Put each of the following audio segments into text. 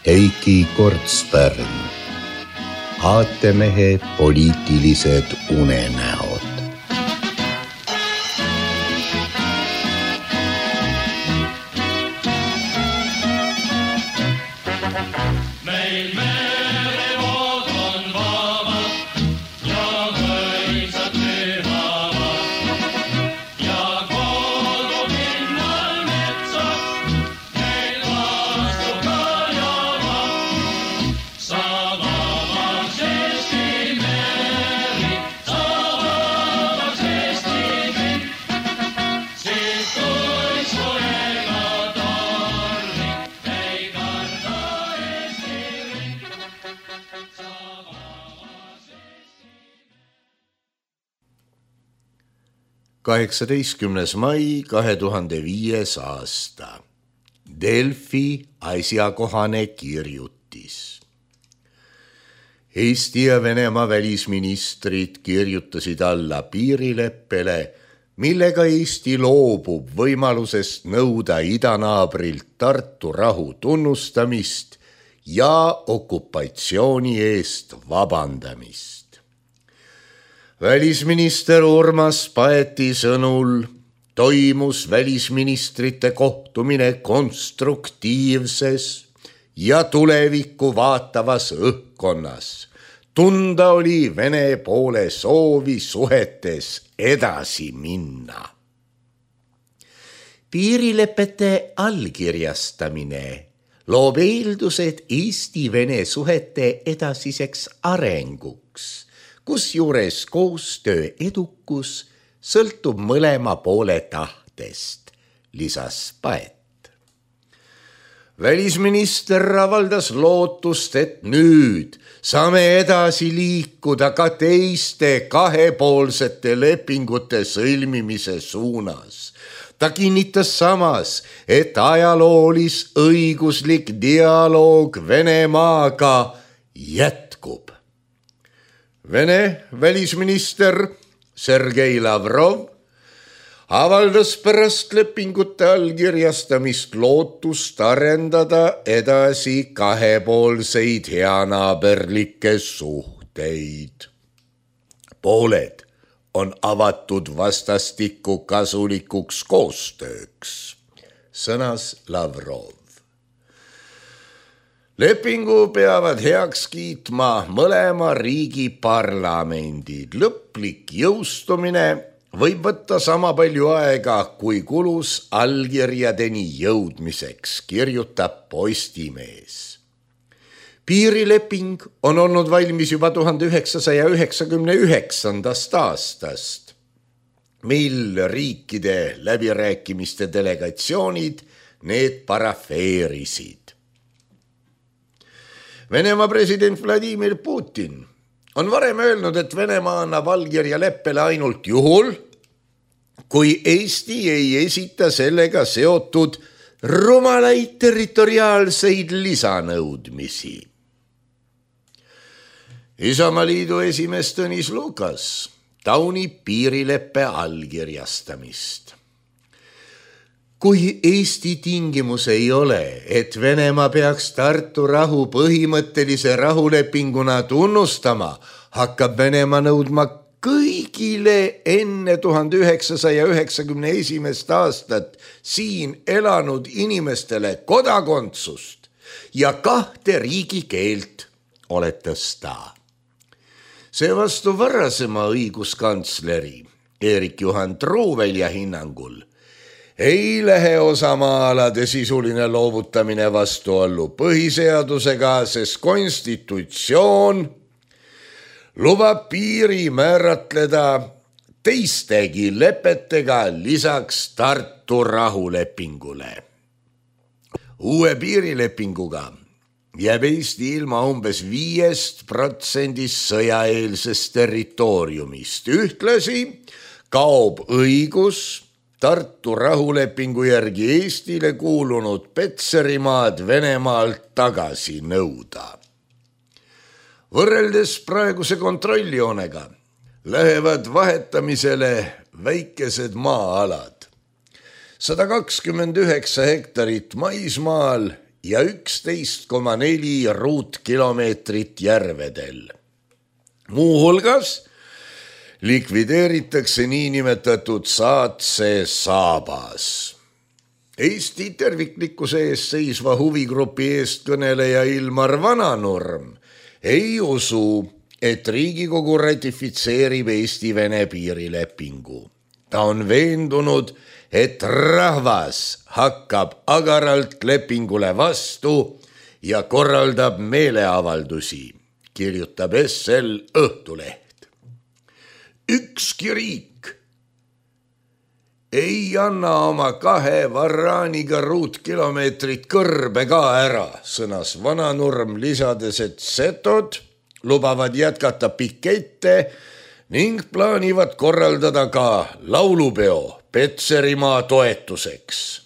Heiki Kortspärn, aatemehe poliitilised unenäod. Meil merevood on vabad ja mõisad pühavad ja kogu pinnal metsad meil vastu kajavad. Sa vabaks Eesti meri, sa vabaks Eesti kõik, siis kui soega tormi ei karda Eesti riik. Sa vabaks Eesti. 18. mai 2005. aasta. Delfi asjakohane kirjutis. Eesti ja Venemaa välisministrid kirjutasid alla piirileppele, millega Eesti loobub võimalusest nõuda idanaabrilt Tartu rahu tunnustamist ja okupatsiooni eest vabandamist. Välisminister Urmas Paeti sõnul toimus välisministrite kohtumine konstruktiivses ja tulevikku vaatavas õhkkonnas. Tunda oli Vene poole soovi suhetes edasi minna. Piirilepete allkirjastamine loob eeldused Eesti-Vene suhete edasiseks arenguks, kusjuures koostöö edukus sõltub mõlema poole tahtest, lisas Paet. Välisminister avaldas lootust, et nüüd saame edasi liikuda ka teiste kahepoolsete lepingute sõlmimise suunas. Ta kinnitas samas, et ajaloolis-õiguslik dialoog Venemaaga jätkub. Vene välisminister Sergei Lavrov avaldas pärast lepingute allkirjastamist lootust arendada edasi kahepoolseid heanaaberlikke suhteid. Pooled on avatud vastastikku kasulikuks koostööks, sõnas Lavrov. Lepingu peavad heaks kiitma mõlema riigi parlamendid. Lõplik jõustumine võib võtta sama palju aega, kui kulus allkirjadeni jõudmiseks, kirjutab Postimees. Piirileping on olnud valmis juba 1999. aastast, mil riikide läbirääkimiste delegatsioonid need parafeerisid. Venemaa president Vladimir Putin on varem öelnud, et Venemaa annab allkirja leppele ainult juhul, kui Eesti ei esita sellega seotud rumalaid territoriaalseid lisanõudmisi. Isamaaliidu esimees Tõnis Lukas taunib piirileppe allkirjastamist. Kui Eesti tingimus ei ole, et Venemaa peaks Tartu rahu põhimõttelise rahulepinguna tunnustama, hakkab Venemaa nõudma kõigile enne 1991. aastat siin elanud inimestele kodakondsust ja 2 riigikeelt, oletas ta. Seevastu varasema õiguskantsleri Eerik-Juhan Truuvelja hinnangul ei lähe osamaalade sisuline loovutamine vastuollu põhiseadusega, sest konstitutsioon lubab piiri määratleda teistegi lepetega lisaks Tartu rahulepingule. Uue piirilepinguga jääb Eesti ilma umbes 5% sõjaeelsest territooriumist. Ühtlasi kaob õigus Tartu rahulepingu järgi Eestile kuulunud Petserimaad Venemaalt tagasi nõuda. Võrreldes praeguse kontrolljoonega lähevad vahetamisele väikesed maa-alad. 129 hektarit maismaal ja 11,4 ruutkilomeetrit järvedel. Muuhulgas likvideeritakse niinimetatud Saatse saabas. Eesti terviklikkuse eest seisva huvigrupi eestkõneleja Ilmar Vananurm ei usu, et Riigikogu ratifitseerib Eesti-Vene piirilepingu. Ta on veendunud, et rahvas hakkab agaralt lepingule vastu ja korraldab meeleavaldusi, kirjutab SL Õhtuleht. Ükski riik ei anna oma 2 varraaniga ruutkilomeetrit kõrbe ka ära, sõnas Vananurm, lisades, et setod lubavad jätkata pikette ning plaanivad korraldada ka laulupeo Petserimaa toetuseks.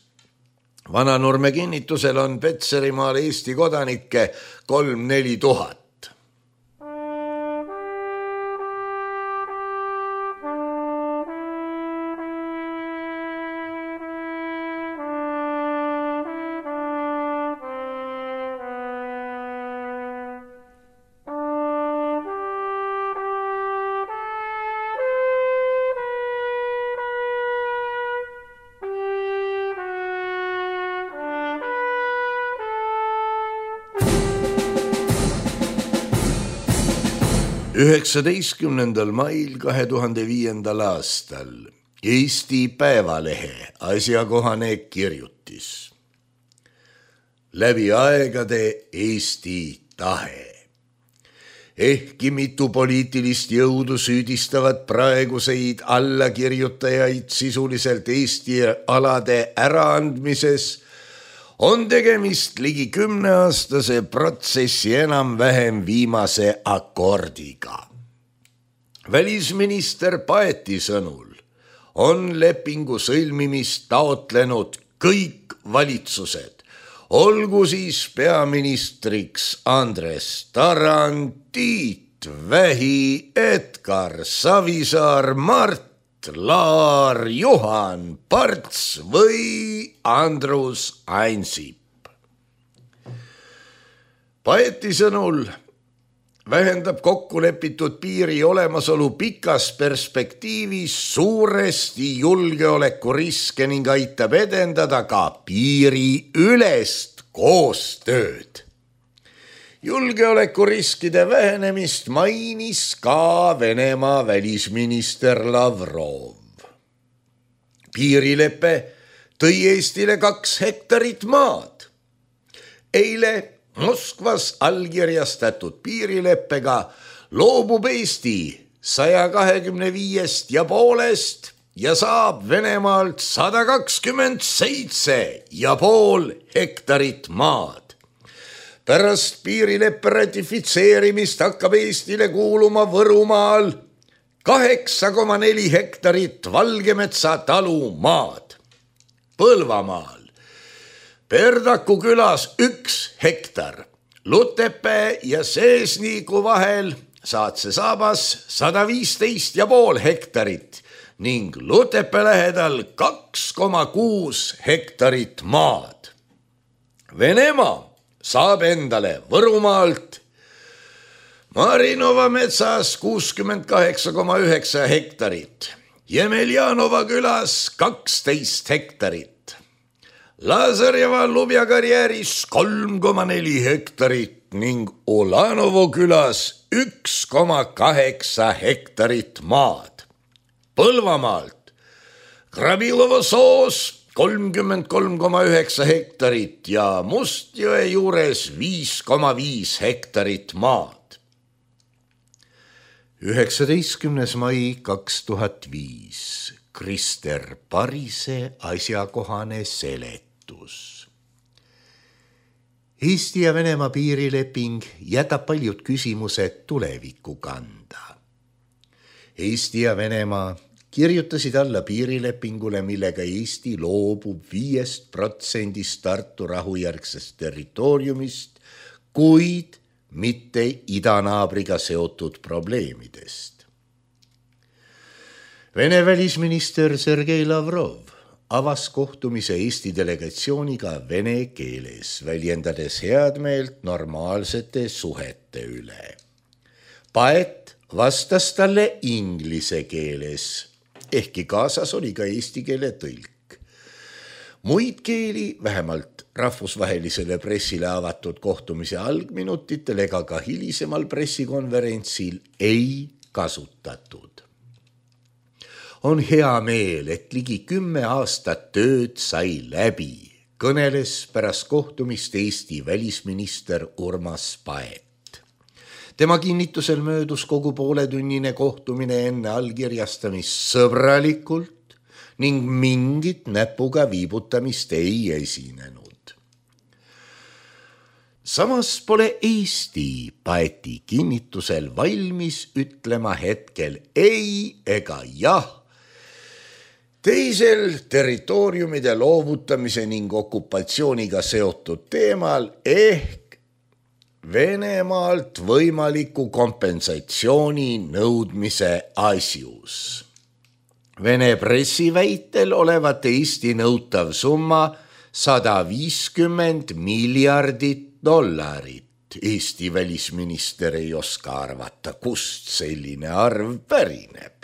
Vananurme kinnitusel on Petserimaal Eesti kodanikke 3-4 tuhat. Mail 2005. aastal Eesti Päevalehe asjakohane kirjutis. Läbi aegade Eesti tahe. Ehkki mitu poliitilist jõudu süüdistavad praeguseid allakirjutajaid sisuliselt Eesti alade äraandmises, on tegemist ligi 10-aastase protsessi enam-vähem viimase akordiga. Välisminister Paeti sõnul on lepingu sõlmimist taotlenud kõik valitsused, olgu siis peaministriks Andres Tarand, Tiit Vähi, Edgar Savisaar, Mart Laar, Juhan Parts või Andrus Ansip. Paeti sõnul vähendab kokkulepitud piiri olemasolu pikas perspektiivis suuresti julgeolekuriske ning aitab edendada ka piiriülest koostööd. Julgeolekuriskide vähenemist mainis ka Venemaa välisminister Lavrov. Piirilepe tõi Eestile 2 hektarit maad. Eile Moskvas allkirjastatud piirileppega loobub Eesti 125,5 ja saab Venemaalt 127,5 hektarit maad. Pärast piirileppe ratifitseerimist hakkab Eestile kuuluma Võrumaal 8,4 hektarit Valgemetsa talu maad. Põlvamaal Perdaku külas 1 hektar, Lutepää ja Seesniku vahel Saatse saabas 115,5 hektarit ning Lutepää lähedal 2,6 hektarit maad. Venemaa saab endale Võrumaalt Marinova metsas 68,9 hektarit, Jemeljanova külas 12 hektarit, Lazarjeva Lubja karjääris 3,4 hektarit ning Olanovo külas 1,8 hektarit maad. Põlvamaalt Krabilovo soos 33,9 hektarit ja Mustjõe juures 5,5 hektarit maad. 19. mai 2005. Krister Parise asjakohane seletus. Eesti ja Venemaa piirileping jätab paljud küsimused tulevikku kanda. Eesti ja Venemaa kirjutasid alla piirilepingule, millega Eesti loobub 5% Tartu rahujärgsest territooriumist, kuid mitte idanaabriga seotud probleemidest. Vene välisminister Sergei Lavrov avas kohtumise Eesti delegatsiooniga vene keeles, väljendades headmeelt normaalsete suhete üle. Paet vastas talle inglise keeles, ehkki kaasas oli ka eesti keele tõlk. Muid keeli, vähemalt rahvusvahelisele pressile avatud kohtumise algminutitel ega ka hilisemal pressikonverentsil ei kasutatud. On hea meel, et ligi 10 aastat tööd sai läbi, kõneles pärast kohtumist Eesti välisminister Urmas Paet. Tema kinnitusel möödus kogu pooletunnine kohtumine enne allkirjastamist sõbralikult ning mingit näpuga viibutamist ei esinenud. Samas pole Eesti Paeti kinnitusel valmis ütlema hetkel ei ega jah teisel territooriumide loovutamise ning okupatsiooniga seotud teemal ehk Venemaalt võimaliku kompensatsiooni nõudmise asjus. Vene pressi väitel olevat Eesti nõutav summa $150 miljardit. Eesti välisminister ei oska arvata, kust selline arv pärineb.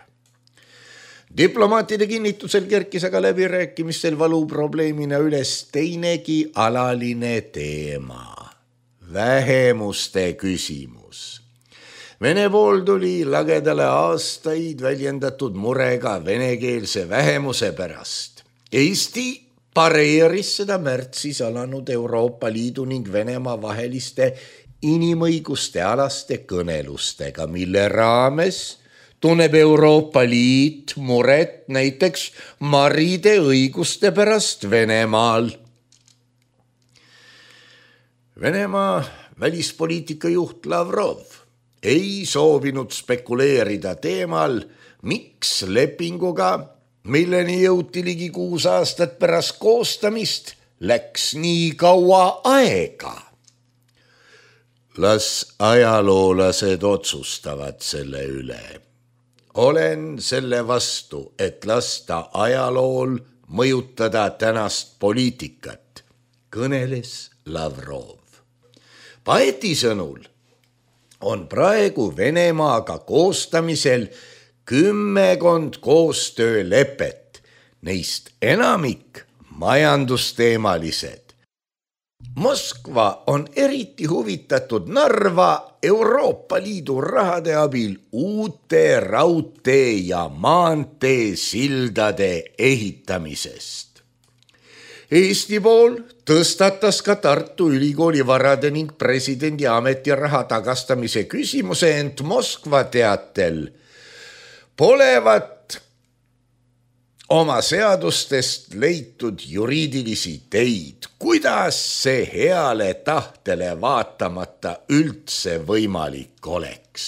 Diplomaatide kinnitusel kerkis aga läbirääkimistel valuprobleemina üles teinegi alaline teema, vähemuste küsimus. Vene pool tuli lagedale aastaid väljendatud murega venekeelse vähemuse pärast. Eesti pareeris seda märtsis alanud Euroopa Liidu ning Venemaa vaheliste inimõiguste alaste kõnelustega, mille raames tunneb Euroopa Liit muret näiteks maride õiguste pärast Venemaal. Venemaa välispoliitika juht Lavrov ei soovinud spekuleerida teemal, miks lepinguga, milleni jõuti ligi 6 aastat pärast koostamist, läks nii kaua aega. Las ajaloolased otsustavad selle üle. Olen selle vastu, et lasta ajalool mõjutada tänast poliitikat, kõneles Lavrov. Paeti sõnul on praegu Venemaaga koostamisel 10 koostöölepet, neist enamik majandusteemalised. Moskva on eriti huvitatud Narva Euroopa Liidu rahade abil uute raudtee ja maantee sildade ehitamisest. Eesti pool tõstatas ka Tartu Ülikooli varade ning presidendi ametiraha tagastamise küsimuse, ent Moskva teatel polevat oma seadustest leitud juriidilisi teid, kuidas see heale tahtele vaatamata üldse võimalik oleks.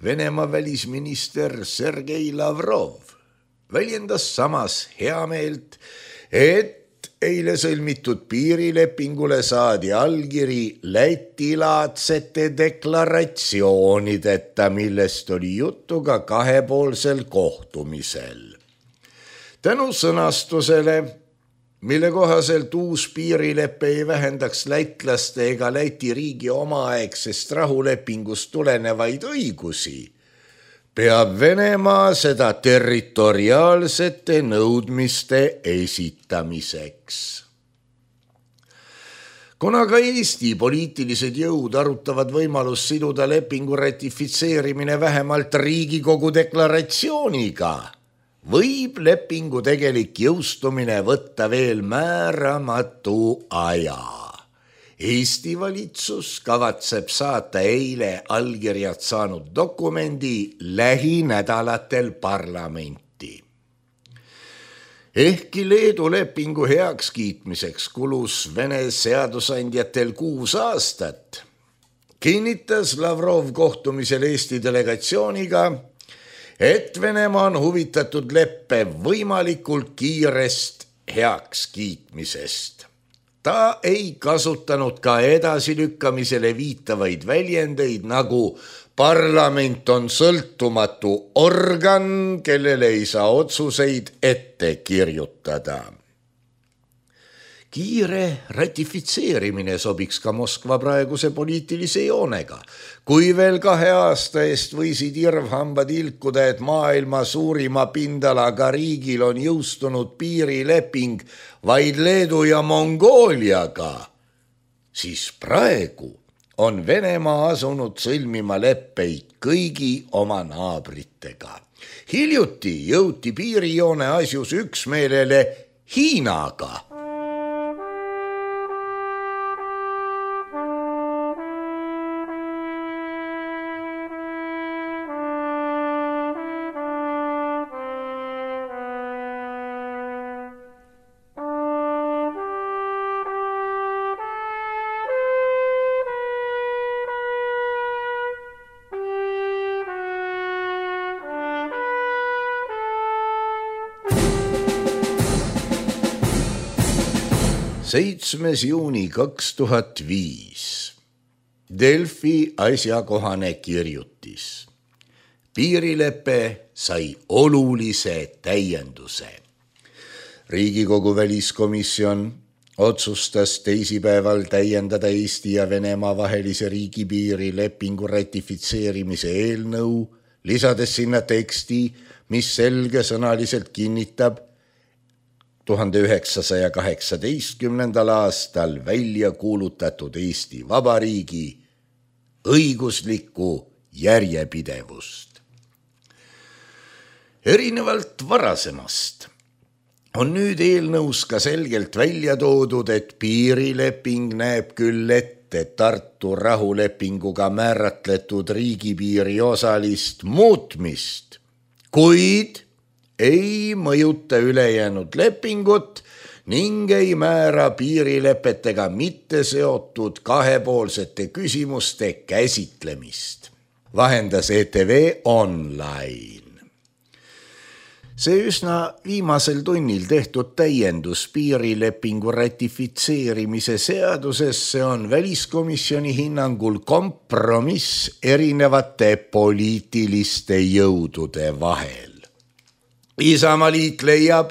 Venemaa välisminister Sergei Lavrov väljendas samas heameelt, et eile sõlmitud piirilepingule saadi allkiri Läti-laadsete deklaratsioonideta, millest oli juttu ka kahepoolsel kohtumisel. Tänu sõnastusele, mille kohaselt uus piirilepe ei vähendaks lätlaste ega Läti riigi omaaegsest rahulepingust tulenevaid õigusi, peab Venemaa seda territoriaalsete nõudmiste esitamiseks. Kuna ka Eesti poliitilised jõud arutavad võimalust siduda lepingu ratifitseerimine vähemalt Riigikogu deklaratsiooniga, võib lepingu tegelik jõustumine võtta veel määramatu aja. Eesti valitsus kavatseb saata eile allkirjad saanud dokumendi lähinädalatel parlamenti. Ehkki Leedu lepingu heakskiitmiseks kulus Vene seadusandjatel 6 aastat, kinnitas Lavrov kohtumisel Eesti delegatsiooniga, et Venemaa on huvitatud leppe võimalikult kiirest heakskiitmisest. Ta ei kasutanud ka edasilükkamisele viitavaid väljendeid nagu Parlament on sõltumatu organ, kellele ei saa otsuseid ette kirjutada. Kiire ratifitseerimine sobiks ka Moskva praeguse poliitilise joonega. Kui veel 2 aasta eest võisid irvhambad ilkuda, et maailma suurima pindalaga riigil on jõustunud piirileping vaid Leedu ja Mongooliaga, siis praegu on Venemaa asunud sõlmima leppeid kõigi oma naabritega. Hiljuti jõuti piirijoone asjus üksmeelele Hiinaga. Juuni 2005. Delfi asjakohane kirjutis. Piirilepe sai olulise täienduse. Riigikogu väliskomisjon otsustas teisipäeval täiendada Eesti ja Venemaa vahelise riigipiiri lepingu ratifitseerimise eelnõu, lisades sinna teksti, mis selgesõnaliselt kinnitab 1918. aastal välja kuulutatud Eesti Vabariigi õiguslikku järjepidevust. Erinevalt varasemast on nüüd eelnõus ka selgelt välja toodud, et piirileping näeb küll ette Tartu rahulepinguga määratletud riigipiiri osalist muutmist, kuid ei mõjuta ülejäänud lepingut ning ei määra piirilepetega mitte seotud kahepoolsete küsimuste käsitlemist, vahendas ETV Online. See üsna viimasel tunnil tehtud täiendus piirilepingu ratifitseerimise seadusesse on väliskomisjoni hinnangul kompromiss erinevate poliitiliste jõudude vahel. Isamaaliit leiab,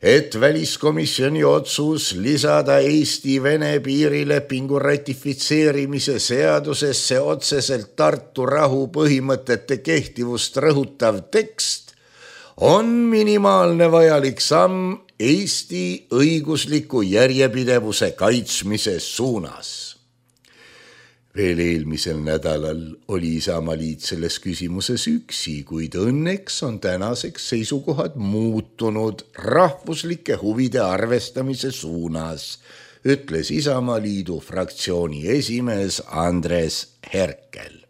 et väliskomisjoni otsus lisada Eesti-Vene piirilepingu ratifitseerimise seadusesse otseselt Tartu rahu põhimõtete kehtivust rõhutav tekst on minimaalne vajalik samm Eesti õigusliku järjepidevuse kaitsmise suunas. Veel eelmisel nädalal oli Isamaaliit selles küsimuses üksi, kuid õnneks on tänaseks seisukohad muutunud rahvuslike huvide arvestamise suunas, ütles Isamaaliidu fraktsiooni esimees Andres Herkel.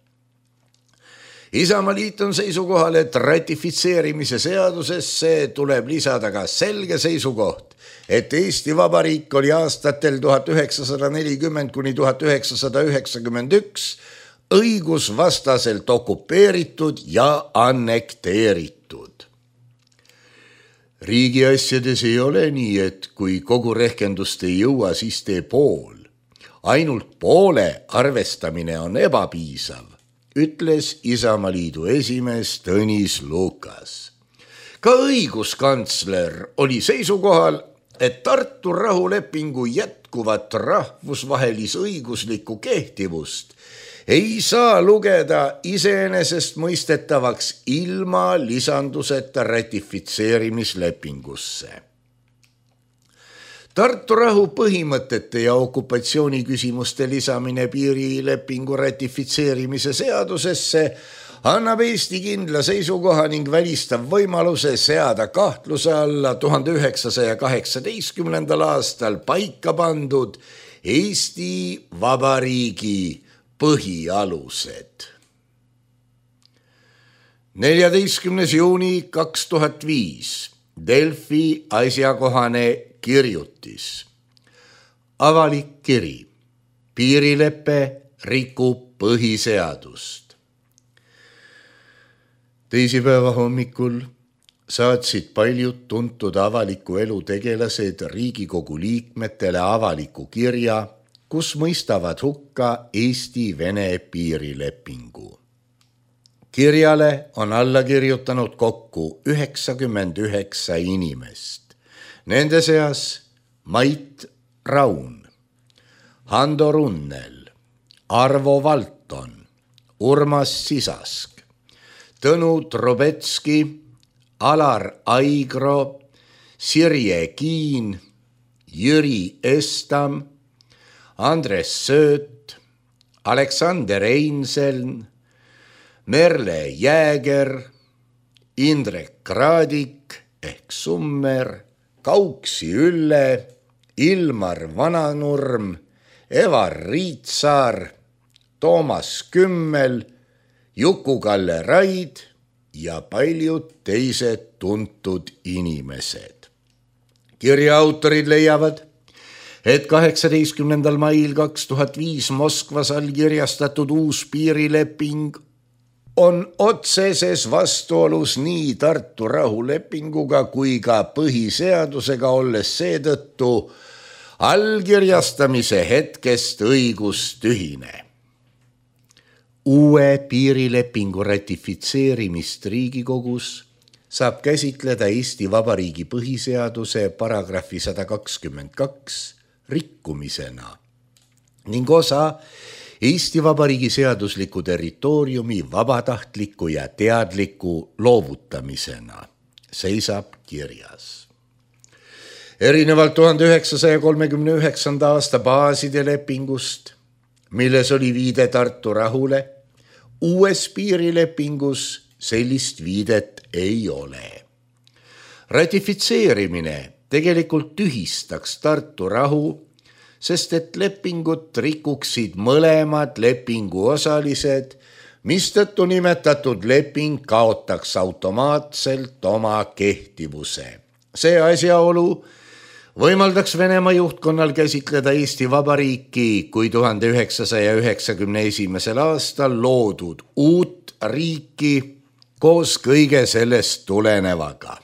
Isamaaliit on seisukohal, et ratifitseerimise seadusesse tuleb lisada ka selge seisukoht, et Eesti Vabariik oli aastatel 1940–1991 õigusvastaselt okupeeritud ja annekteeritud. Riigiasjades ei ole nii, et kui kogu rehkendust ei jõua, siis tee pool. Ainult poole arvestamine on ebapiisav, ütles Isamaaliidu esimees Tõnis Lukas. Ka õiguskantsler oli seisukohal, et Tartu rahulepingu jätkuvat rahvusvahelisõiguslikku kehtivust ei saa lugeda iseenesestmõistetavaks ilma lisanduseta ratifitseerimislepingusse. Tartu rahu põhimõtete ja okupatsiooni küsimuste lisamine piirilepingu ratifitseerimise seadusesse annab Eesti kindla seisukoha ning välistab võimaluse seada kahtluse alla 1918. aastal paika pandud Eesti Vabariigi põhialused. 14. juuni 2005. Delfi asjakohane kirjutis. Avalik kiri. Piirilepe rikub põhiseadust. Teisipäeva hommikul saatsid paljud tuntud avaliku elu tegelased Riigikogu liikmetele avaliku kirja, kus mõistavad hukka Eesti-Vene piirilepingu. kirjale on alla kirjutanud kokku 99 inimest. Nende seas Mait Raun, Hando Runnel, Arvo Valton, Urmas Sisask, Tõnu Trubetski, Alar Aigro, Sirje Kiin, Jüri Estam, Andres Sööt, Aleksander Einseln, Merle Jääger, Indrek Kraadik ehk Summer, Kauksi Ülle, Ilmar Vananurm, Evar Riitsaar, Toomas Kümmel, Juku-Kalle Raid ja paljud teised tuntud inimesed. Kirja autorid leiavad, et 18. mail 2005 Moskvas allkirjastatud uus piirileping on otseses vastuolus nii Tartu rahulepinguga kui ka põhiseadusega, olles seetõttu allkirjastamise hetkest õigustühine. Uue piirilepingu ratifitseerimist Riigikogus saab käsitleda Eesti Vabariigi põhiseaduse paragrahvi 122 rikkumisena ning osa Eesti Vabariigi seadusliku territooriumi vabatahtliku ja teadliku loovutamisena, seisab kirjas. Erinevalt 1939. aasta baaside lepingust, milles oli viide Tartu rahule, uues piirilepingus sellist viidet ei ole. Ratifitseerimine tegelikult tühistaks Tartu rahu, sest et lepingut rikuksid mõlemad lepingu osalised, mistõttu nimetatud leping kaotaks automaatselt oma kehtivuse. See asjaolu võimaldaks Venemaa juhtkonnal käsitleda Eesti Vabariiki kui 1991. aastal loodud uut riiki koos kõige sellest tulenevaga.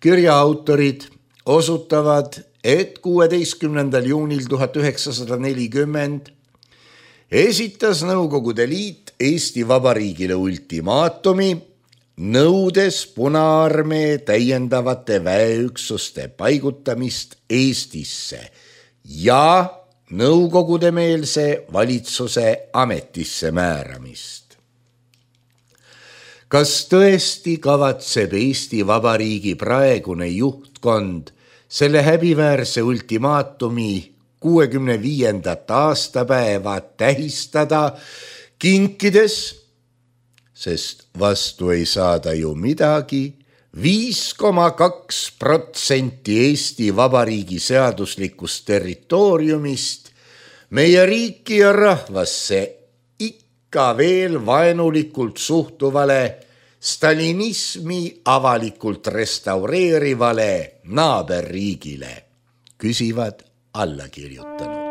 Kirja autorid osutavad, et 16. juunil 1940 esitas Nõukogude Liit Eesti Vabariigile ultimaatumi, nõudes Punaarmee täiendavate väeüksuste paigutamist Eestisse ja nõukogudemeelse valitsuse ametisse määramist. Kas tõesti kavatseb Eesti Vabariigi praegune juhtkond selle häbiväärse ultimaatumi 65. aastapäeva tähistada kinkides, sest vastu ei saada ju midagi, 5,2% Eesti Vabariigi seaduslikust territooriumist meie riiki ja rahvasse ikka veel vaenulikult suhtuvale stalinismi avalikult restaureerivale naaberriigile, küsivad allakirjutanud.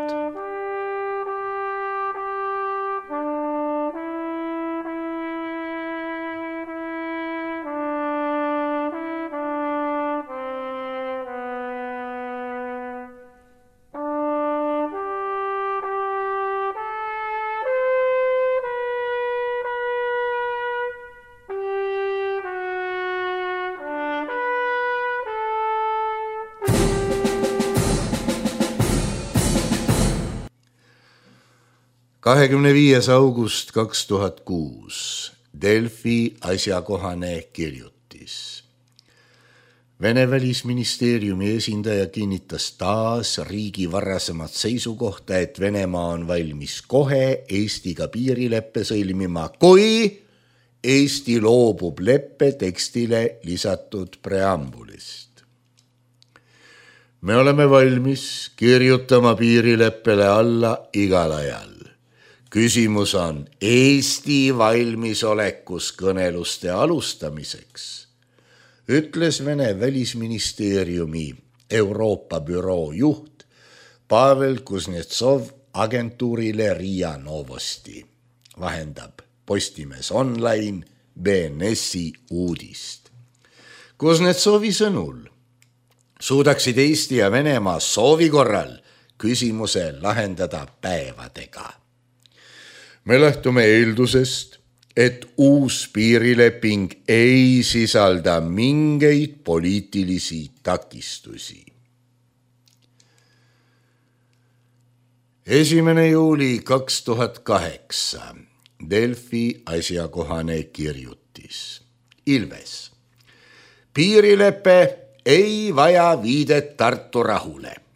August 2006 Delfi asjakohane kirjutis. Vene välisministeeriumi esindaja kinnitas taas riigi varasemat seisukohta, et Venemaa on valmis kohe Eestiga piirileppe sõlmima, kui Eesti loobub leppe tekstile lisatud preambulist. Me oleme valmis kirjutama piirileppele alla igal ajal. Küsimus on Eesti valmisolekus kõneluste alustamiseks, ütles Vene välisministeeriumi Euroopa büroo juht Pavel Kuznetsov agentuurile Riia Novosti, vahendab Postimees Online BNS-i uudist. Kuznetsovi sõnul suudaksid Eesti ja Venemaa soovi korral küsimuse lahendada päevadega. Me lähtume eeldusest, et uus piirileping ei sisalda mingeid poliitilisi takistusi. 1. juuli 2008 Delfi asjakohane kirjutis. Ilves. Piirilepe ei vaja viidet Tartu rahule.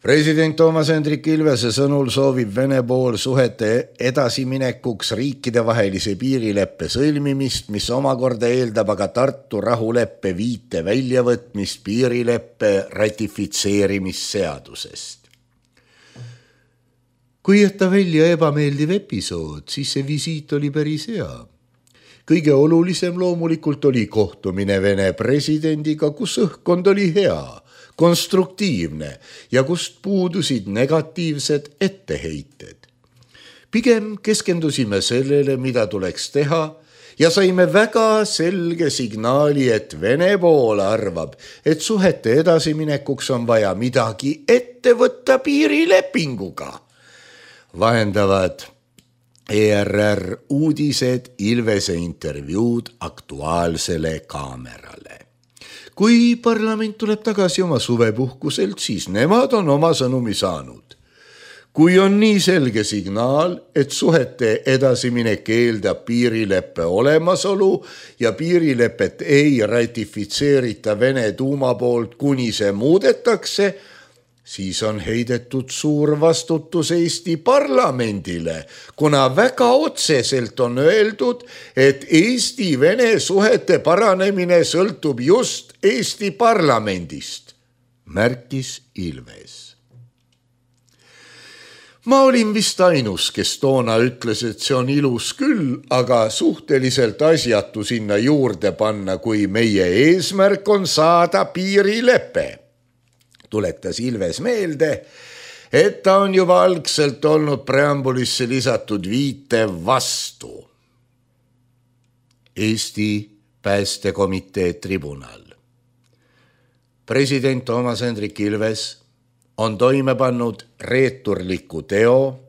President Toomas Hendrik Ilvese sõnul soovib Vene pool suhete edasiminekuks riikidevahelise piirileppe sõlmimist, mis omakorda eeldab aga Tartu rahuleppe viite väljavõtmist piirileppe ratifitseerimisseadusest. Kui jätta välja ebameeldiv episood, siis see visiit oli päris hea. Kõige olulisem loomulikult oli kohtumine Vene presidendiga, kus õhkkond oli hea, konstruktiivne ja kust puudusid negatiivsed etteheited. Pigem keskendusime sellele, mida tuleks teha ja saime väga selge signaali, et Vene pool arvab, et suhete edasiminekuks on vaja midagi ette võtta piirilepinguga. Vahendavad ERR uudised Ilvese intervjuud Aktuaalsele kaamerale. Kui parlament tuleb tagasi oma suvepuhkuselt, siis nemad on oma sõnumi saanud. Kui on nii selge signaal, et suhete edasiminek eeldab piirileppe olemasolu ja piirilepet ei ratifitseerita Vene tuuma poolt, kuni see muudetakse, siis on heidetud suur vastutus Eesti parlamendile, kuna väga otseselt on öeldud, et Eesti-Vene suhete paranemine sõltub just Eesti parlamendist, märkis Ilves. Ma olin vist ainus, kes toona ütles, et see on ilus küll, aga suhteliselt asjatu sinna juurde panna, kui meie eesmärk on saada piirilepe. Tuletas Ilves meelde, et ta on juba algselt olnud preambulisse lisatud viite vastu. Eesti Päästekomitee tribunal. President Toomas Hendrik Ilves on toime pannud reeturliku teo,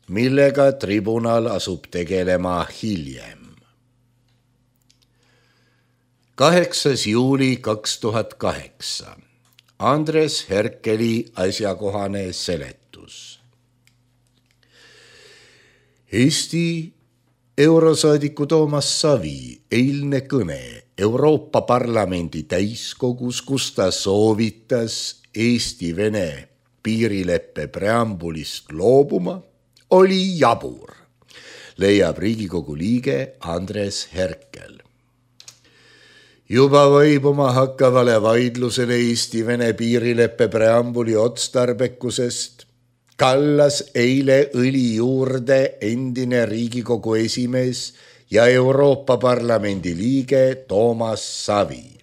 millega tribunal asub tegelema hiljem. 8. juuli 2008 Andres Herkeli asjakohane seletus. Eesti eurosaadiku Toomas Savi eilne kõne Euroopa Parlamendi täiskogus, kus ta soovitas Eesti-Vene piirileppe preambulist loobuma, oli jabur, leiab Riigikogu liige Andres Herkel. Juba vaibuma hakkavale vaidlusele Eesti-Vene piirileppe preambuli otstarbekusest kallas eile õli juurde endine Riigikogu esimees ja Euroopa Parlamendi liige Toomas Savi.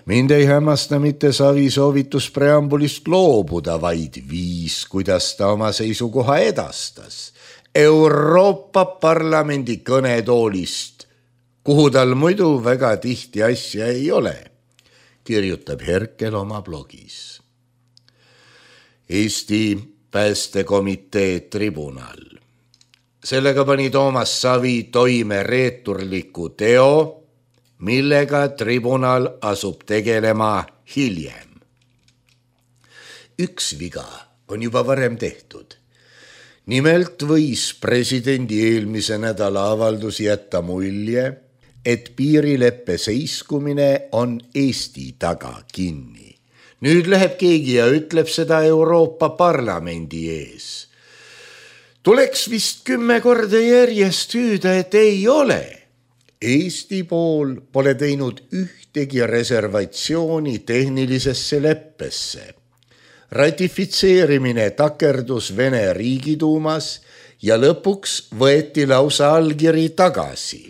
Mind ei hämmasta mitte Savi soovitus preambulist loobuda, vaid viis, kuidas ta oma seisukoha edastas Euroopa Parlamendi kõnetoolist, kuhu tal muidu väga tihti asja ei ole, kirjutab Herkel oma blogis. Eesti Päästekomitee tribunal. Sellega pani Toomas Savi toime reeturliku teo, millega tribunal asub tegelema hiljem. Üks viga on juba varem tehtud. Nimelt võis presidendi eelmise nädala avaldus jätta mulje, et piirileppe seiskumine on Eesti taga kinni. Nüüd läheb keegi ja ütleb seda Euroopa Parlamendi ees. Tuleks vist 10 korda järjest hüüda, et ei ole. Eesti pool pole teinud ühtegi reservatsiooni tehnilisesse leppesse. Ratifitseerimine takerdus Vene riigiduumas ja lõpuks võeti lausa allkiri tagasi.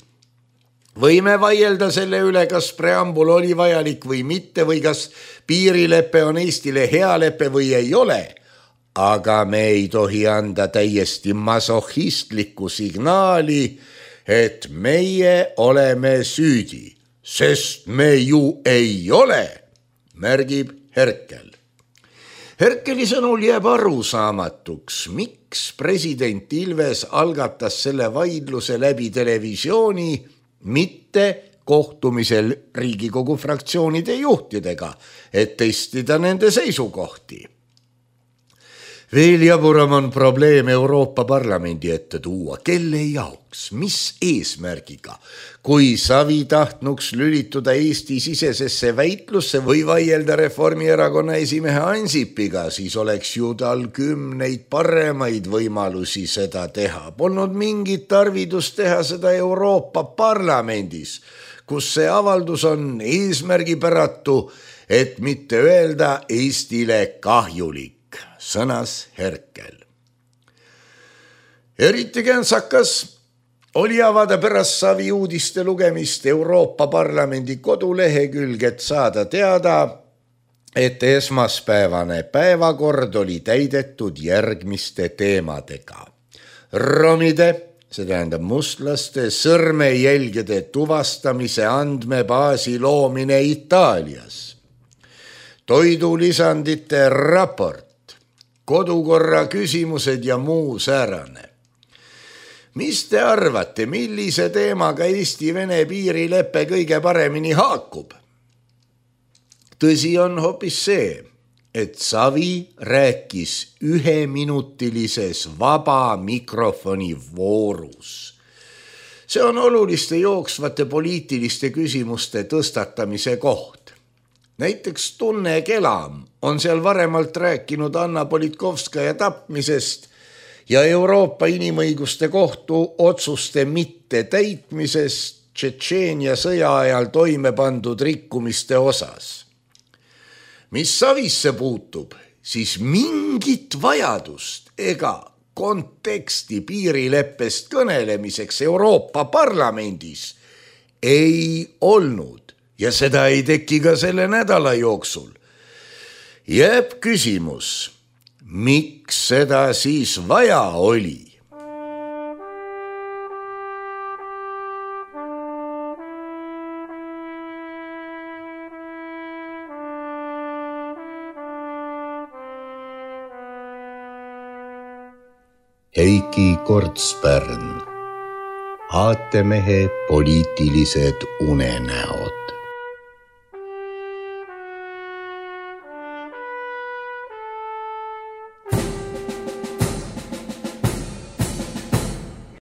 Võime vaielda selle üle, kas preambul oli vajalik või mitte või kas piirilepe on Eestile hea lepe või ei ole, aga me ei tohi anda täiesti masohhistlikku signaali, et meie oleme süüdi, sest me ju ei ole, märgib Herkel. Herkeli sõnul jääb arusaamatuks, miks president Ilves algatas selle vaidluse läbi televisiooni, mitte kohtumisel Riigikogu fraktsioonide juhtidega, et testida nende seisukohti. Veel jaburam on probleem Euroopa Parlamendi ette tuua, kelle jaoks, mis eesmärgiga, kui Savi tahtnuks lülituda Eesti sisesesse väitlusse või vaielda Reformierakonna esimehe Ansipiga, siis oleks ju tal 10 paremaid võimalusi seda teha. Polnud mingit tarvidust teha seda Euroopa Parlamendis, kus see avaldus on eesmärgipäratu, et mitte öelda Eestile kahjulik, sõnas Herkel. Eriti käntsakas oli avada pärast Savi uudiste lugemist Euroopa Parlamendi kodulehekülg, et saada teada, et esmaspäevane päevakord oli täidetud järgmiste teemadega. Romide, see tähendab mustlaste, sõrmejälgede tuvastamise andmebaasi loomine Itaalias, toidulisandite raport, kodukorra küsimused ja muu säärane. Mis te arvate, millise teemaga Eesti-Vene piirileppe kõige paremini haakub? Tõsi on hoopis see, et Savi rääkis 1-minutilises vaba mikrofoni voorus. See on oluliste jooksvate poliitiliste küsimuste tõstatamise koht. Näiteks Tunne Kelam on seal varemalt rääkinud Anna Politkovskaja tapmisest ja Euroopa Inimõiguste Kohtu otsuste mitte täitmisest Tšetšeenia sõja ajal toime pandud rikkumiste osas. Mis Savisse puutub, siis mingit vajadust ega konteksti piirileppest kõnelemiseks Euroopa Parlamendis ei olnud. Ja seda ei teki ka selle nädala jooksul. Jääb küsimus, miks seda siis vaja oli? Heiki Kortspärn, aatemehe poliitilised unenäod.